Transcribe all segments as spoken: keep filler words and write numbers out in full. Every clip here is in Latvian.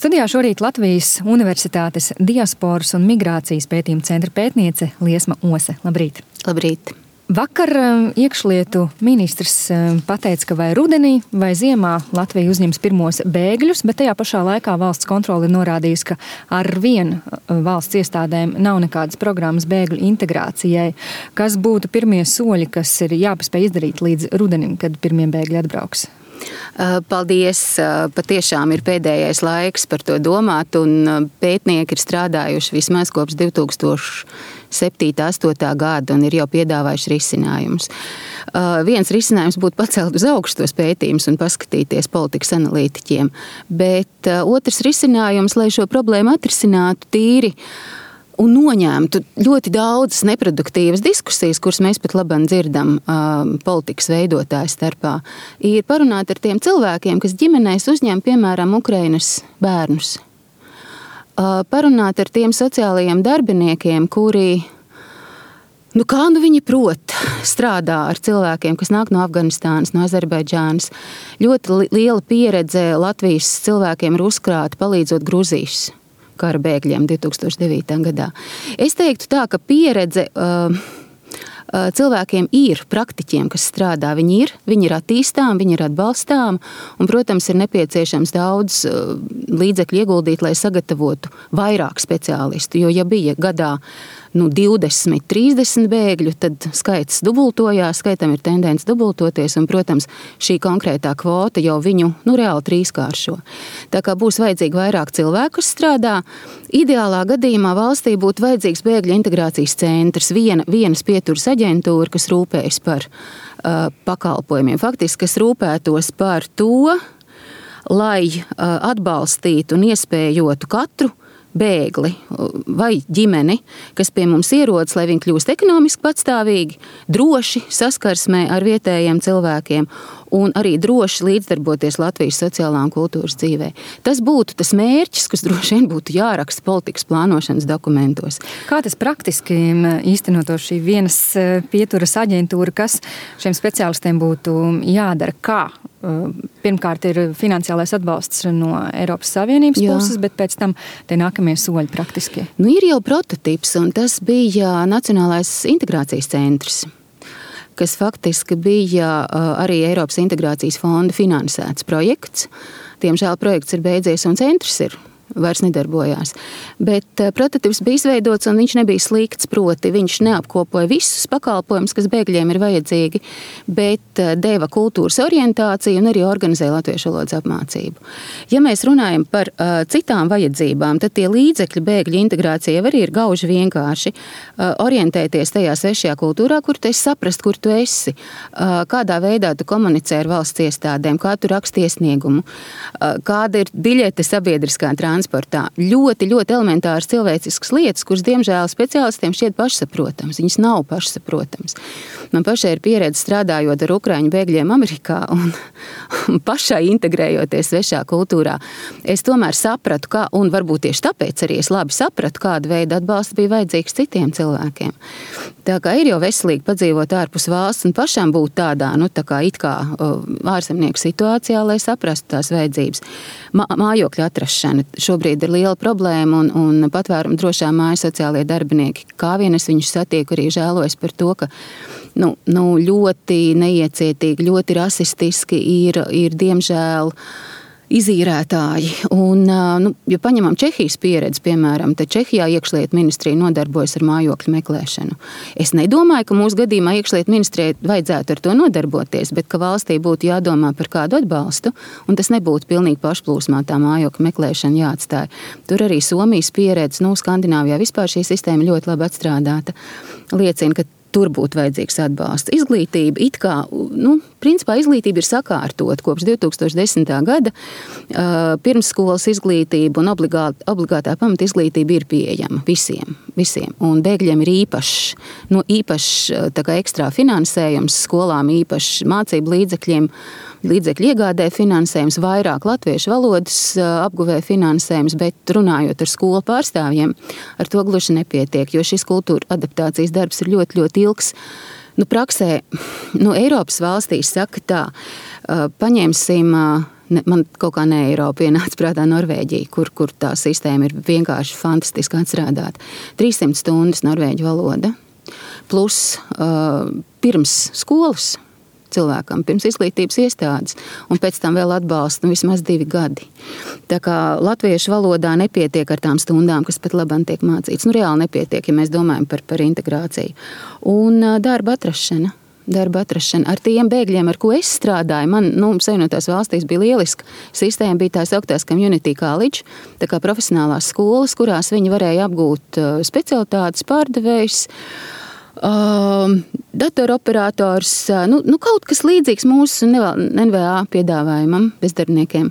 Studijā šorīt Latvijas Universitātes diasporas un migrācijas pētījuma centra pētniece Liesma Ose. Labrīt! Labrīt! Vakar iekšlietu ministrs pateica, ka vai rudenī vai ziemā Latvija uzņems pirmos bēgļus, bet tajā pašā laikā valsts kontrole ir norādījusi, ka ar vienu valsts iestādēm nav nekādas programmas bēgļu integrācijai. Kas būtu pirmie soļi, kas ir jāpaspēj izdarīt līdz rudenim, kad pirmie bēgļi atbrauks? Paldies! Patiešām ir pēdējais laiks par to domāt, un pētnieki ir strādājuši vismaz kopš divi tūkstoši septītā astotā gada un ir jau piedāvājuši risinājumus. Viens risinājums būtu pacelt uz augšu tos pētījumus un paskatīties politikas analītiķiem, bet otrs risinājums, lai šo problēmu atrisinātu tīri un noņemtu ļoti daudzas neproduktīvas diskusijas, kuras mēs pat labāk dzirdam uh, politikas veidotāju starpā, ir parunāt ar tiem cilvēkiem, kas ģimenēs uzņem, piemēram, Ukrainas bērnus. Uh, parunāt ar tiem sociālajiem darbiniekiem, kuri, nu kā nu viņi prot, strādā ar cilvēkiem, kas nāk no Afganistānas, no Azerbaidžānas. Ļoti liela pieredze Latvijas cilvēkiem ir uzkrāta palīdzot Gruzijas kara bēgļiem divi tūkstoši devītā gadā. Es teiktu tā, ka pieredze uh, uh, cilvēkiem ir, praktiķiem, kas strādā, viņi ir, viņi ir attīstām, viņi ir atbalstām, un, protams, ir nepieciešams daudz uh, līdzekļu ieguldīt, lai sagatavotu vairāk speciālistu, jo ja bija gadā nu, divdesmit, trīsdesmit bēgļu, tad skaits dubultojās, skaitam ir tendence dubultoties, un, protams, šī konkrētā kvota jau viņu nu, reāli trīskāršo. Tā kā būs vajadzīgi vairāk cilvēku, kas strādā, ideālā gadījumā valstī būtu vajadzīgs bēgļu integrācijas centrs, viena, vienas pieturas aģentūra, kas rūpējas par uh, pakalpojumiem, faktiski, kas rūpētos par to, lai uh, atbalstītu un iespējotu katru bēgli vai ģimeni, kas pie mums ierodas, lai viņi kļūst ekonomiski patstāvīgi, droši saskarsmē ar vietējiem cilvēkiem un arī droši līdzdarboties Latvijas sociālā un kultūras dzīvē. Tas būtu tas mērķis, kas droši vien būtu jāraksta politikas plānošanas dokumentos. Kā tas praktiski īstenoto šī vienas pieturas aģentūra, kas šiem speciālistiem būtu jādara? Kā? Pirmkārt ir finansiālais atbalsts no Eiropas Savienības Jā. puses, bet pēc tam tie nākamie soļi praktiski. Nu, ir jau prototips, un tas bija Nacionālais integrācijas centrs, kas faktiski bija arī Eiropas integrācijas fonda finansēts projekts. Diemžēl projekts ir beidzies un centrs ir vairs nedarbojās. Bet prototips bija izveidots un viņš nebija slikts, proti viņš neapkopoja visus pakalpojumus, kas bēgļiem ir vajadzīgi, bet deva kultūras orientāciju un arī organizēja latviešu valodas apmācību. Ja mēs runājam par uh, citām vajadzībām, tad tie līdzekļi bēgļu integrācijai arī ir gauži vienkārši uh, orientēties tajā svešajā kultūrā, kur tu esi saprast, kur tu esi, uh, kādā veidā tu komunicē ar valsts iestādēm, kā tu raksti iesniegumu, uh, kāda ir biļete sabiedriskā transportā. Transportā. Ļoti, ļoti elementāras cilvēciskas lietas, kuras, diemžēl, speciālistiem šķiet pašsaprotams. Viņas nav pašsaprotams. Man pašai ir pieredze strādājot ar ukraiņu bēgļiem Amerikā un, un pašai integrējoties svešā kultūrā. Es tomēr sapratu, kā, un varbūt tieši tāpēc arī es labi sapratu, kāda veida atbalsts bija vajadzīgs citiem cilvēkiem. Tā kā ir jau veselīgi padzīvot ārpus valsts un pašam būt tādā, nu, tā kā it kā ārzemnieku situācijā, lai saprastu tās vajadzības. Mā, mājokļa atrašana šobrīd ir liela problēma, un, un patvērumu drošā māja sociālie darbinieki. Kā vien es viņus satieku, arī žēlojas par to, ka nu, nu, ļoti neiecietīgi, ļoti rasistiski ir, ir diemžēl izīrētāji. Un, nu, ja paņemam Čehijas pieredzi, piemēram, tad Čehijā iekšlietu ministrija nodarbojas ar mājokļu meklēšanu. Es nedomāju, ka mūsu gadījumā iekšlietu ministrijai vajadzētu ar to nodarboties, bet ka valstī būtu jādomā par kādu atbalstu, un tas nebūtu pilnīgi pašplūsmā tā mājokļu meklēšana jāatstāja. Tur arī Somijas pieredze, nu, Skandināvijā vispār šī sistēma ļoti labi atstrādāta, liecina, ka tur būtu vajadzīgs atbalsts. Izglītība, it kā, nu, principā izglītība ir sakārtot kopš divi tūkstoši desmitā gada. Uh, pirmsskolas izglītība un obligāta, obligātā pamata izglītība ir pieejama visiem, visiem. Un bēgļiem ir īpašs, nu, īpašs tā kā ekstrā finansējums, skolām īpašs mācību līdzekļiem, līdzekļu iegādē finansējums, vairāk latviešu valodas apguvē finansējums, bet runājot ar skolu pārstāvjiem, ar to gluži nepietiek, jo šis kultūra adaptācijas darbs ir ļoti, ļoti ilgs. Nu, praksē, nu, Eiropas valstīs saka tā, paņemsim ne, man kaut kā ne Eiropa ienāca prātā Norvēģija, kur, kur tā sistēma ir vienkārši fantastiski atstrādāta. trīssimt stundas norvēģu valoda, plus uh, pirms skolas cilvēkam, pirms izglītības iestādes, un pēc tam vēl atbalsta nu, vismaz divi gadi. Tā kā latviešu valodā nepietiek ar tām stundām, kas pat labāk tiek mācīts. Nu, reāli nepietiek, ja mēs domājam par, par integrāciju. Un uh, darba atrašana. Darba atrašana. Ar tiem bēgļiem, ar ko es strādāju, man, nu, Savienotās valstīs bija lieliska sistēma, bija tās augtās community college, tā kā profesionālās skolas, kurās viņi varēja apgūt uh, specialitātes, pārdevējs, Uh, datoroperatorus, uh, nu, nu kaut kas līdzīgs mūsu N V A piedāvājumam bezdarbniekiem.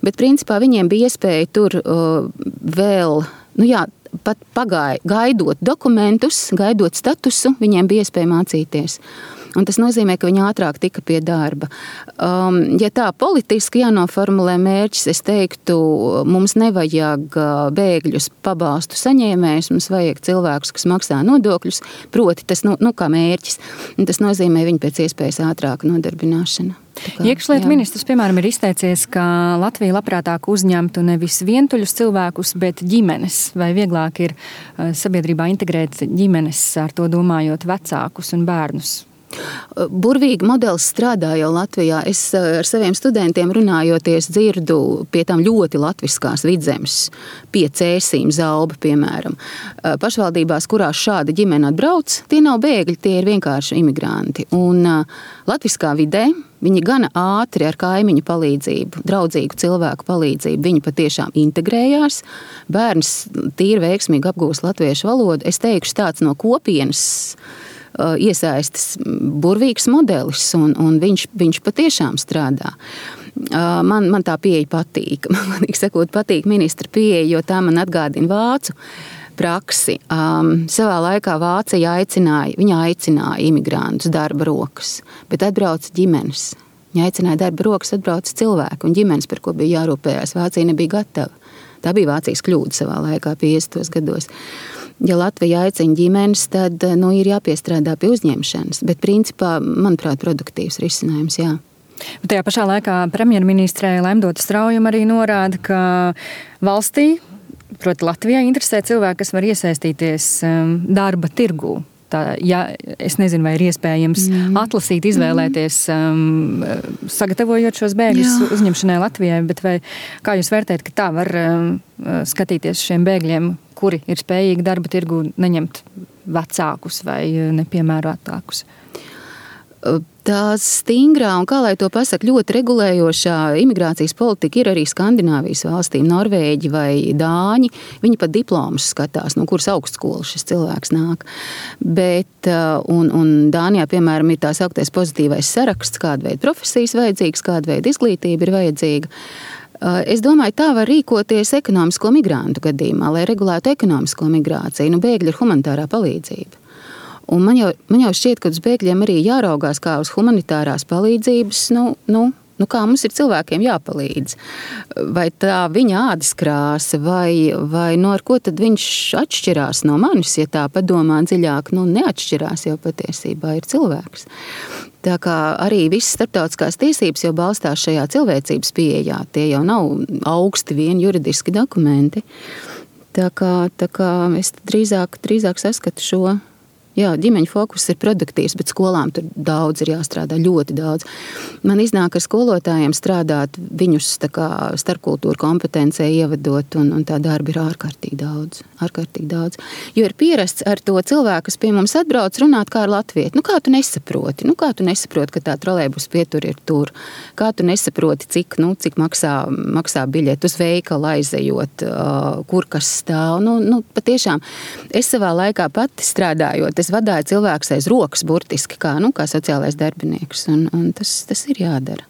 Bet principā viņiem bija iespēja tur uh, vēl, nu jā, pat pagāja, gaidot dokumentus, gaidot statusu, viņiem bija iespēja mācīties. Un tas nozīmē, ka viņi ātrāk tika pie darba. Um, ja tā politiski jānoformulē mērķis, es teiktu, mums nevajag bēgļus pabalstu saņēmējus, mums vajag cilvēkus, kas maksā nodokļus, proti tas, nu, nu kā mērķis. Un tas nozīmē viņu pēc iespējas ātrāku nodarbināšanu. Iekšlietu ministrs, piemēram, ir izteicies, ka Latvija labprātāk uzņemtu nevis vientuļus cilvēkus, bet ģimenes. Vai vieglāk ir sabiedrībā integrēt ģimenes, ar to domājot vecākus un bērnus? Burvīgi modelis strādā jau Latvijā. Es ar saviem studentiem runājoties dzirdu pie tām ļoti latviskās Vidzemes, pie Cēsīm, Zauba, piemēram. Pašvaldībās, kurās šāda ģimene atbrauc, tie nav bēgļi, tie ir vienkārši imigranti. Un latviskā vidē viņi gana ātri ar kaimiņu palīdzību, draudzīgu cilvēku palīdzību, viņi patiešām integrējās. Bērns tīri veiksmīgi apgūst latviešu valodu. Es teikšu, tāds no kopienas iesaistas burvīgs modelis, un, un viņš, viņš patiešām strādā. Man, man tā pieeja patīk. Man sakot, patīk ministra pieeja, jo tā man atgādina vācu praksi. Um, savā laikā Vācija aicināja, viņa aicināja imigrantus darba rokas, bet atbrauca ģimenes. Viņa aicināja darba rokas, atbrauca cilvēku, un ģimenes, par ko bija jārūpējās, Vācija nebija gatava. Tā bija Vācijas kļūda savā laikā, piecdesmitos gados. Ja Latvija aicina ģimenes, tad nu, ir jāpiestrādā pie uzņemšanas. Bet principā, manuprāt, produktīvs risinājums, jā. Bet tajā pašā laikā premjerministrē Laimdota Straujuma arī norāda, ka valstī, proti Latvijā, interesē cilvēki, kas var iesaistīties darba tirgū. Tā, ja, es nezinu, vai ir iespējams mm. atlasīt, izvēlēties, um, sagatavojot šos bēgļus Jā. uzņemšanai Latvijai, bet vai, kā jūs vērtējat, ka tā var um, skatīties šiem bēgļiem, kuri ir spējīgi darba tirgu neņemt vecākus vai nepiemērotākus? Tā stingrā un, kā lai to pasaka, ļoti regulējošā imigrācijas politika ir arī Skandināvijas valstīm, Norvēģi vai Dāņi. Viņi pat diplomus skatās, no kuras augstskolas šis cilvēks nāk. Bet, un, un Dānijā, piemēram, ir tā sauktais pozitīvais saraksts, kāda veida profesijas vajadzīgas, kāda veida izglītība ir vajadzīga. Es domāju, tā var rīkoties ekonomisko migrantu gadījumā, lai regulētu ekonomisko migrāciju. Nu, bēgļi ir humanitārā palīdzība. Un man jau, man jau šķiet, ka uz bēgļiem arī jāraugās kā uz humanitārās palīdzības, nu, nu, nu kā mums ir cilvēkiem jāpalīdz. Vai tā viņa ādas krāsa, vai, vai no ar ko tad viņš atšķirās no manis, ja tā padomā dziļāk, nu neatšķirās jau patiesībā ir cilvēks. Tā kā arī visas starptautiskās tiesības jau balstās šajā cilvēcības pieejā, tie jau nav augsti vien juridiski dokumenti. Tā kā, tā kā es drīzāk, drīzāk saskatu šo. Jā, ģimeņu fokus ir produktīvs, bet skolām tur daudz ir jāstrādā, ļoti daudz. Man iznāk ar skolotājiem strādāt, viņus tā kā starpkultūru kompetencē ievedot, un, un tā darba ir ārkārtīgi daudz, ārkārtīgi daudz. Jo ir pierasts ar to cilvēku, kas pie mums atbrauc, runāt kā ar latvieti. Nu, kā tu nesaproti? Nu, kā tu nesaproti, ka tā trolejbus pietur ir tur? Kā tu nesaproti, cik, nu, cik maksā, maksā biļeti uz veikalu aizejot, uh, kur kas stāv? Nu, nu, patiešām, es savā laikā pati strādājot, es vadāju cilvēkus aiz rokas burtiski, kā, nu, kā sociālais darbinieks, un, un tas, tas ir jādara.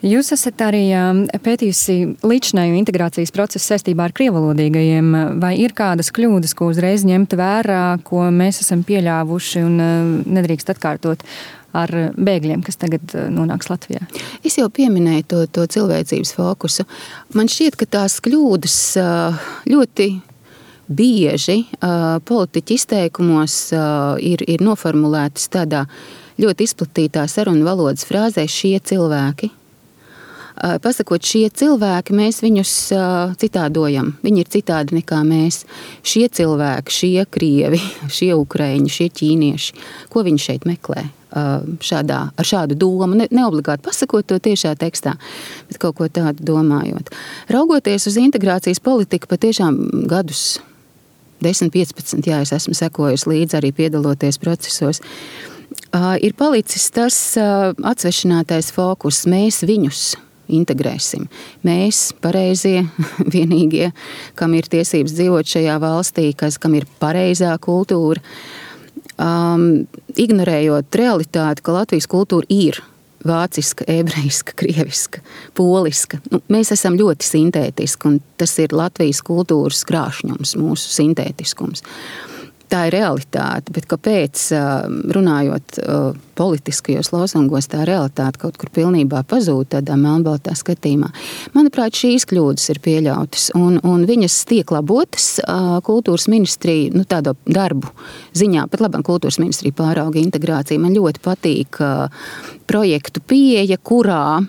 Jūs esat arī pētījusi līdzinēju integrācijas procesu saistībā ar krievalodīgajiem. Vai ir kādas kļūdas, ko uzreiz ņemt vērā, ko mēs esam pieļāvuši un nedrīkst atkārtot ar bēgļiem, kas tagad nonāks Latvijā? Es jau pieminēju to, to cilvēcības fokusu. Man šķiet, ka tās kļūdas ļoti bieži uh, politiķi izteikumos uh, ir, ir noformulētas tādā ļoti izplatītā sarunu valodas frāzē šie cilvēki. Pasakot, šie cilvēki, mēs viņus citādojam. Viņi ir citādi nekā mēs. Šie cilvēki, šie krievi, šie ukraiņi, šie ķīnieši, ko viņi šeit meklē? Šādā, ar šādu domu, ne, neobligāti pasakot to tiešā tekstā, bet kaut ko tādu domājot. Raugoties uz integrācijas politiku, patiešām gadus desmit, piecpadsmit, jā, es esmu sekojusi līdzi arī piedaloties procesos, ir palicis tas atsvešinātais fokus, mēs viņus integrēsim. Mēs, pareizie, vienīgie, kam ir tiesības dzīvot šajā valstī, kas, kam ir pareizā kultūra, Um, ignorējot realitāti, ka Latvijas kultūra ir vāciska, ebrejiska, krieviska, poliska. Nu, mēs esam ļoti sintētiski, un tas ir Latvijas kultūras krāšņums, mūsu sintētiskums. Tā ir realitāte, bet kāpēc, runājot politiskajos lozungos, tā realitāte kaut kur pilnībā pazūd tādā melnbaltā skatījumā. Manuprāt, šīs kļūdas ir pieļautas, un, un viņas tiek labotas kultūras ministrija, nu tādu darbu ziņā, pat labam kultūras ministrija pārauga integrāciju. Man ļoti patīk projektu pieeja, kurā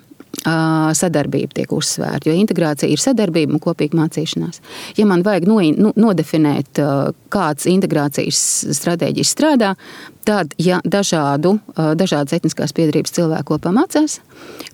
sadarbība tiek uzsvērta, jo integrācija ir sadarbība un kopīga mācīšanās. Ja man vajag no, nu, nodefinēt, kāds integrācijas stratēģijas strādā, tad, ja dažādu, dažādas etniskās piedarības cilvēki kopā mācās,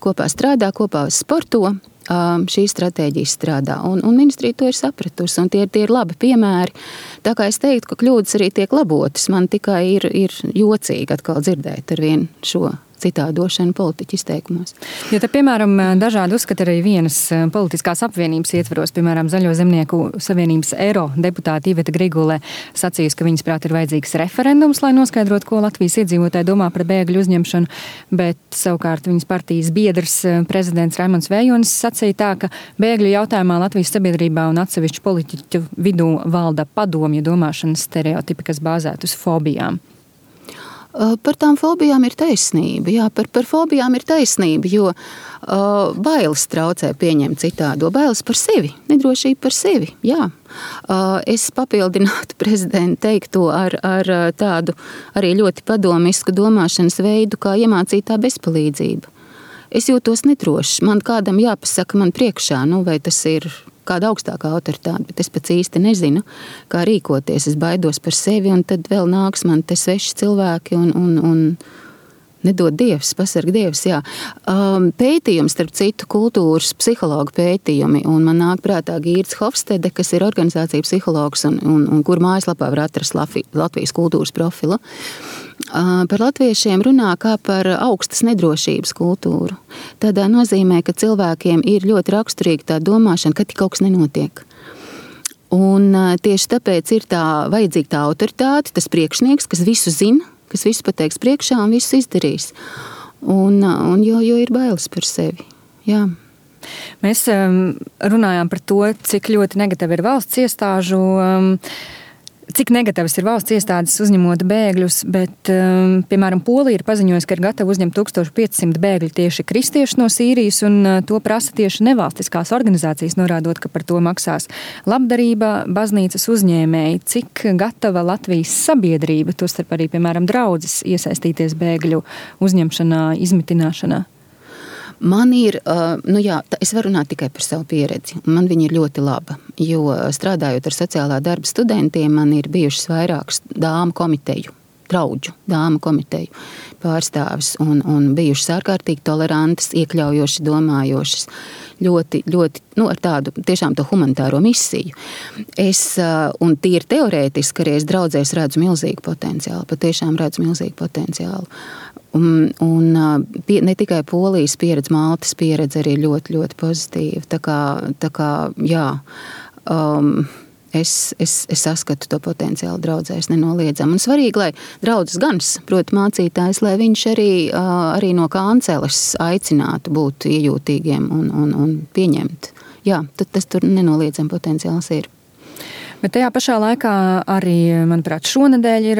kopā strādā, kopā sporto, šī stratēģija strādā. Un, un ministrija to ir sapratusi, un tie, tie ir labi piemēri. Tā kā es teiktu, ka kļūdas arī tiek labotas, man tikai ir, ir jocīgi atkal dzirdēt ar vienu šo citādošanu politiķu izteikumos. Jo te, piemēram, dažādi uzskata arī vienas politiskās apvienības ietvaros, piemēram, Zaļo zemnieku savienības eiro deputāta Iveta Grigule sacījusi, ka viņas prāt ir vajadzīgs referendums, lai noskaidrotu, ko Latvijas iedzīvotāji domā par bēgļu uzņemšanu, bet savukārt viņas partijas biedrs prezidents Raimonds Vējonis sacīja tā, ka bēgļu jautājumā Latvijas sabiedrībā un atsevišķu politiķu vidū valda padomju domāšanas stereotipi, kas bāzēt uz fobijām. Par tām fobijām ir taisnība, jā, par, par fobijām ir taisnība, jo uh, bailes traucē pieņemt citādo, bailes par sevi, nedrošība par sevi, jā. Uh, es papildinātu prezidentu teikto ar, ar tādu arī ļoti padomisku domāšanas veidu, kā iemācītā bezpalīdzība. Es jūtos nedrošs, man kādam jāpasaka man priekšā, nu vai tas ir kāda augstākā autoritāte, bet es pats īsti nezinu, kā rīkoties. Es baidos par sevi, un tad vēl nāks man te sveši cilvēki un, un, un nedod Dievs, pasarg Dievs, jā. Um, pētījums, starp citu, kultūras psihologu pētījumi, un man nāk prātā Gīrds Hofstede, kas ir organizācija psihologs, un, un, un kur mājaslapā var atrast Latvijas kultūras profilu. Uh, par latviešiem runā kā par augstas nedrošības kultūru. Tādā nozīmē, ka cilvēkiem ir ļoti raksturīga tā domāšana, ka tik kaut kas nenotiek. Un uh, tieši tāpēc ir tā vajadzīga tā autoritāte, tas priekšnieks, kas visu zina, kas visu pateiks priekšā un visu izdarīs. Un, un jo, jo ir bailes par sevi. Jā. Mēs um, runājām par to, cik ļoti negatīvi ir valsts iestāžu, um, cik negatīvas ir valsts iestādes uzņemot bēgļus, bet, um, piemēram, Polija ir paziņojusi, ka ir gatava uzņemt tūkstoš piecsimt bēgļu tieši kristiešu no Sīrijas, un uh, to prasa tieši nevalstiskās organizācijas, norādot, ka par to maksās labdarība, baznīcas uzņēmēji. Cik gatava Latvijas sabiedrība, tostarp arī, piemēram, draudzes, iesaistīties bēgļu uzņemšanā, izmitināšanā? Man ir, nu jā, es varu runāt tikai par savu pieredzi, un man viņa ir ļoti laba, jo strādājot ar sociālā darba studentiem, man ir bijušas vairākas dāmu komiteju, draudžu dāmu komiteju pārstāvis, un, un bijušas ārkārtīgi tolerantas, iekļaujoši, domājošas, ļoti, ļoti, nu, ar tādu tiešām to humanitāro misiju. Es, un tīri teorētiski, arī es draudzēs redzu milzīgu potenciālu, patiešām redzu milzīgu potenciālu. Un, un pie, ne tikai Polijas pieredze, Maltas pieredze arī ļoti, ļoti pozitīva. Tā kā, tā kā jā, um, es, es, es saskatu to potenciālu draudzēs nenoliedzam. Un svarīgi, lai draudzes gans, proti mācītājs, lai viņš arī, arī no kanceles aicinātu būt iejūtīgiem un, un, un pieņemt. Jā, tad tas tur nenoliedzam potenciāls ir. Bet tajā pašā laikā arī, manuprāt, šonedēļ ir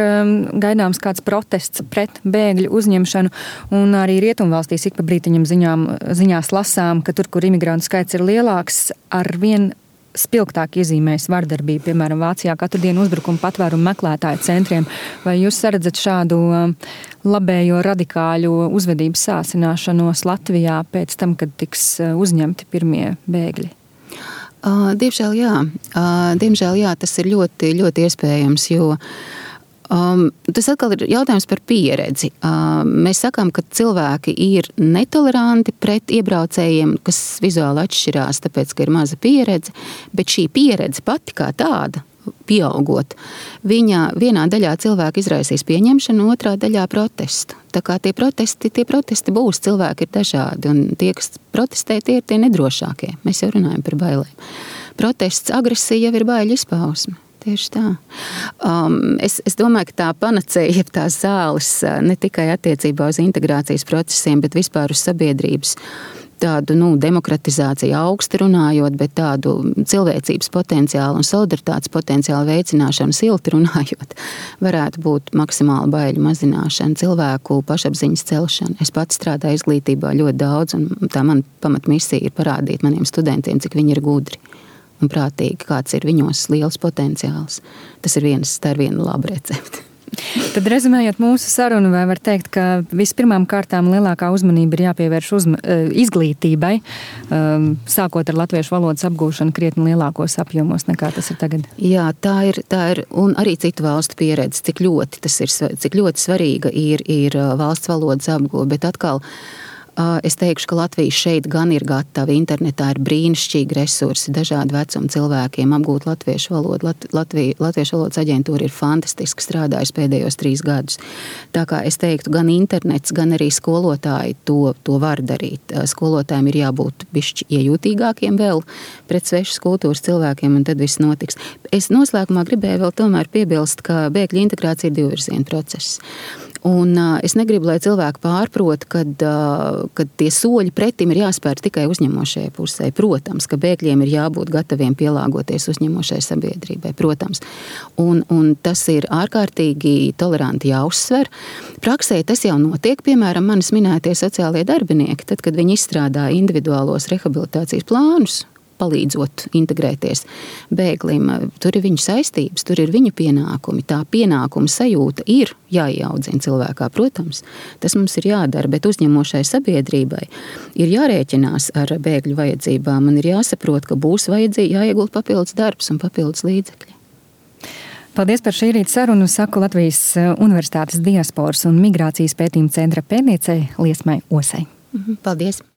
gaidāms kāds protests pret bēgļu uzņemšanu, un arī rietumvalstīs ik pa brītiņam ziņām, ziņās lasām, ka tur, kur imigrantu skaits ir lielāks, arvien spilgtāk iezīmējas vardarbība, piemēram, Vācijā katru dienu uzbrukumu patvērumu meklētāju centriem. Vai jūs saredzat šādu labējo radikāļu uzvedības sāsināšanos Latvijā pēc tam, kad tiks uzņemti pirmie bēgļi? Uh, diemžēl jā. Uh, diemžēl jā, tas ir ļoti, ļoti iespējams, jo Um, tas atkal ir jautājums par pieredzi. Um, mēs sakām, ka cilvēki ir netoleranti pret iebraucējiem, kas vizuāli atšķirās, tāpēc, ka ir maza pieredze, bet šī pieredze pati kā tāda, pieaugot, viņa vienā daļā cilvēki izraisīs pieņemšanu, otrā daļā protestu. Tā kā tie protesti, tie protesti būs, cilvēki ir dažādi, un tie, kas protestē, tie ir tie nedrošākie. Mēs jau runājam par bailēm. Protests, agresija jau ir baiļu izpausme. Tieši tā. Um, es, es domāju, ka tā panacēja, jeb tās zāles ne tikai attiecībā uz integrācijas procesiem, bet vispār uz sabiedrības tādu, nu, demokratizāciju augsti runājot, bet tādu cilvēcības potenciālu un solidaritātes potenciālu veicināšanu silti runājot, varētu būt maksimāla baiļu mazināšana, cilvēku pašapziņas celšana. Es pats strādāju izglītībā ļoti daudz, un tā man pamatmisija ir parādīt maniem studentiem, cik viņi ir gudri un prātīgi, kāds ir viņos liels potenciāls. Tas ir viens, tā ir viena laba recepte. Tad rezumējot mūsu sarunu, vai var teikt, ka vispirmām kārtām lielākā uzmanība ir jāpievērš uzma, izglītībai, sākot ar latviešu valodas apgūšanu krietni lielākos apjomos nekā tas ir tagad? Jā, tā ir, tā ir, un arī citu valstu pieredze, cik ļoti tas ir, cik ļoti svarīga ir, ir valsts valodas apgūve, bet atkal es teikšu, ka Latvija šeit gan ir gatava. Internetā ir brīnišķīgi resursi dažādu vecumu cilvēkiem apgūt latviešu valodu. Lat, Latvija, Latviešu valodas aģentūra ir fantastiski strādājusi pēdējos trīs gadus. Tā kā es teiktu, gan internets, gan arī skolotāji to, to var darīt. Skolotājiem ir jābūt bišķi iejūtīgākiem vēl pret svešas kultūras cilvēkiem, un tad viss notiks. Es noslēgumā gribēju vēl tomēr piebilst, ka bēgļu integrācija ir divvirziena process. Un uh, es negribu, lai cilvēki pārprot, kad, uh, kad tie soļi pretim ir jāspēr tikai uzņemošajai pusē. Protams, ka bēgļiem ir jābūt gataviem pielāgoties uzņemošai sabiedrībai, protams. Un, un tas ir ārkārtīgi toleranti jāuzsver. Praksē tas jau notiek, piemēram, manis minētie sociālie darbinieki, tad, kad viņi izstrādā individuālos rehabilitācijas plānus, palīdzot integrēties bēglim. Tur ir viņu saistības, tur ir viņu pienākumi. Tā pienākuma sajūta ir jāieaudzina cilvēkā, protams. Tas mums ir jādara, bet uzņemošai sabiedrībai ir jārēķinās ar bēgļu vajadzībām un ir jāsaprot, ka būs vajadzīgi jāiegulda papildus darbs un papildus līdzekļi. Paldies par šī rīta sarunu, saku Latvijas Universitātes diasporas un migrācijas pētījuma centra pētniecei Liesmai Osei. Paldies!